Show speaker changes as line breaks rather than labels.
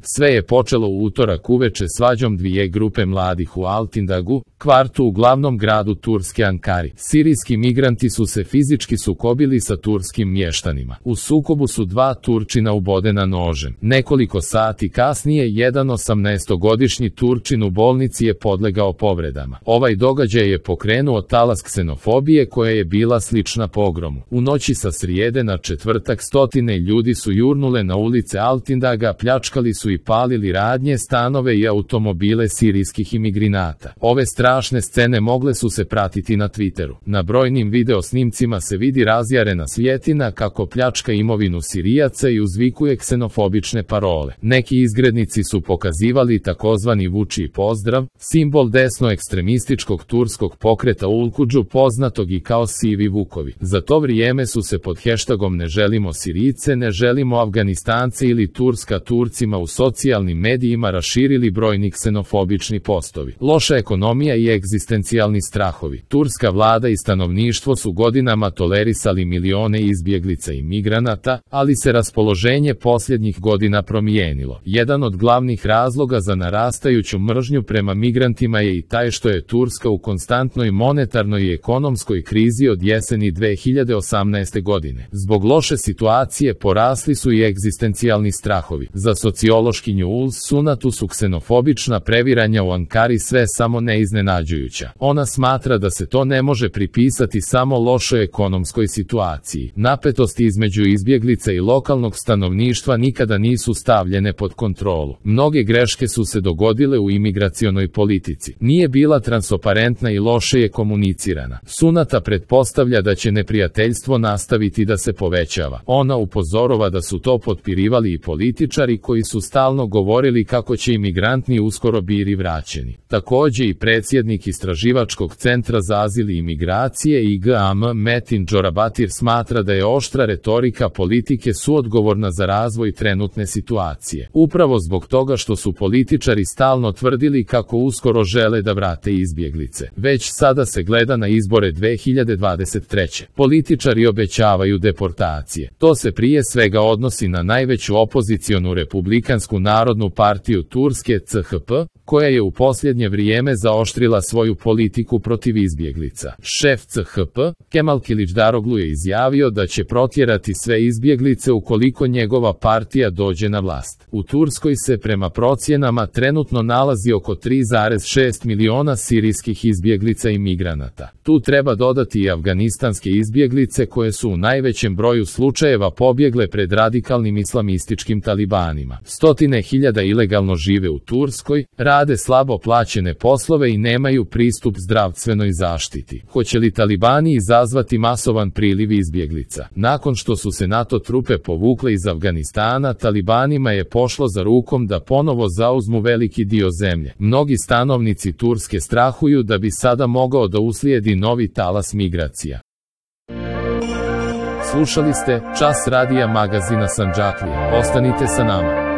Sve je počelo u utorak uveče svađom dvije grupe mladih u Altindagu, kvartu u glavnom gradu Turske Ankari. Sirijski migranti su se fizički sukobili sa turskim mještanima. U sukobu su dva Turčina ubodena nožem. Nekoliko sati kasnije jedan 18-godišnji Turčin u bolnici je podlegao povredama. Ovaj događaj je pokrenuo talas ksenofobije koja je bila slična pogromu. U noći sa srijede na četvrtak stotine ljudi su jurnule na ulice Altindaga, pljačkali su i palili radnje, stanove i automobile sirijskih imigranata. Ove strašne scene mogle su se pratiti na Twitteru. Na brojnim video snimcima se vidi razjarena svjetina kako pljačka imovinu Sirijaca i uzvikuje ksenofobične parole. Neki izgrednici su pokazivali takozvani vučiji pozdrav, simbol desno-ekstremističkog turskog pokreta Ulkudžu, poznatog i kao sivi vukovi. Za to vrijeme su se pod hashtagom ne želimo Sirijce, ne želimo Afganistance ili Turska Turcima u socijalnim medijima raširili brojni ksenofobični postovi. Loša ekonomija i egzistencijalni strahovi. Turska vlada i stanovništvo su godinama tolerisali milione izbjeglica i migranata, ali se raspoloženje posljednjih godina promijenilo. Jedan od glavnih razloga za narastajuću mržnju prema migrantima je i taj što je Turska u konstantnoj monetarnoj i ekonomskoj krizi od jeseni 2018. godine. Zbog loše situacije porasli su i egzistencijalni strahovi. Za sociološkinju Uls Sunatu su ksenofobična previranja u Ankari sve samo ne iznenađujuća. Ona smatra da se to ne može pripisati samo lošoj ekonomskoj situaciji. Napetosti između izbjeglica i lokalnog stanovništva nikada nisu stavljene pod kontrolu. Mnoge greške su se dogodile u imigracionoj politici. Nije bila transparentna i loše je komunicirana. Sunata pretpostavlja da će neprijateljstvo nastaviti da se povećava. Ona upozorava da su to potpirivali i političari koji su stalno govorili kako će imigranti uskoro biti vraćeni. Također i predsjednik Istraživačkog centra za azil i imigracije IGAM Metin Džorabatir smatra da je oštra retorika politike suodgovorna za razvoj trenutne situacije. Upravo zbog toga što su političari stalno tvrdili kako uskoro žele da vrate izbjeglice. Već sada se gleda na izbore 2023. Političari obećavaju deportacije. To se prije svega odnosi na najveću opozicionu Republikansku narodnu partiju Turske CHP, koja je u posljednje vrijeme zaoštrila svoju politiku protiv izbjeglica. Šef CHP, Kemal Kılıçdaroğlu je izjavio da će protjerati sve izbjeglice ukoliko njegova partija dođe na vlast. U Turskoj se prema procjenama trenutno nalazi oko 3,6 miliona sirijskih izbjeglica i migranata. Tu treba dodati i afganistanske izbjeglice koje su u najvećem broju slučajeva pobjegle pred radikalnim islamističkim talibanima. Stotine hiljada ilegalno žive u Turskoj, rade slabo plaćene poslove i nemaju pristup zdravstvenoj zaštiti. Hoće li talibani izazvati masovan priliv izbjeglica? Nakon što su se NATO trupe povukle iz Afganistana, talibanima je pošlo za rukom da ponovo zauzmu veliki dio zemlje. Mnogi stanovnici Turske strahuju da bi sada mogao da uslijedi novi talas migracija. Slušali ste Čas radija magazina Sandžaklija. Ostanite sa nama.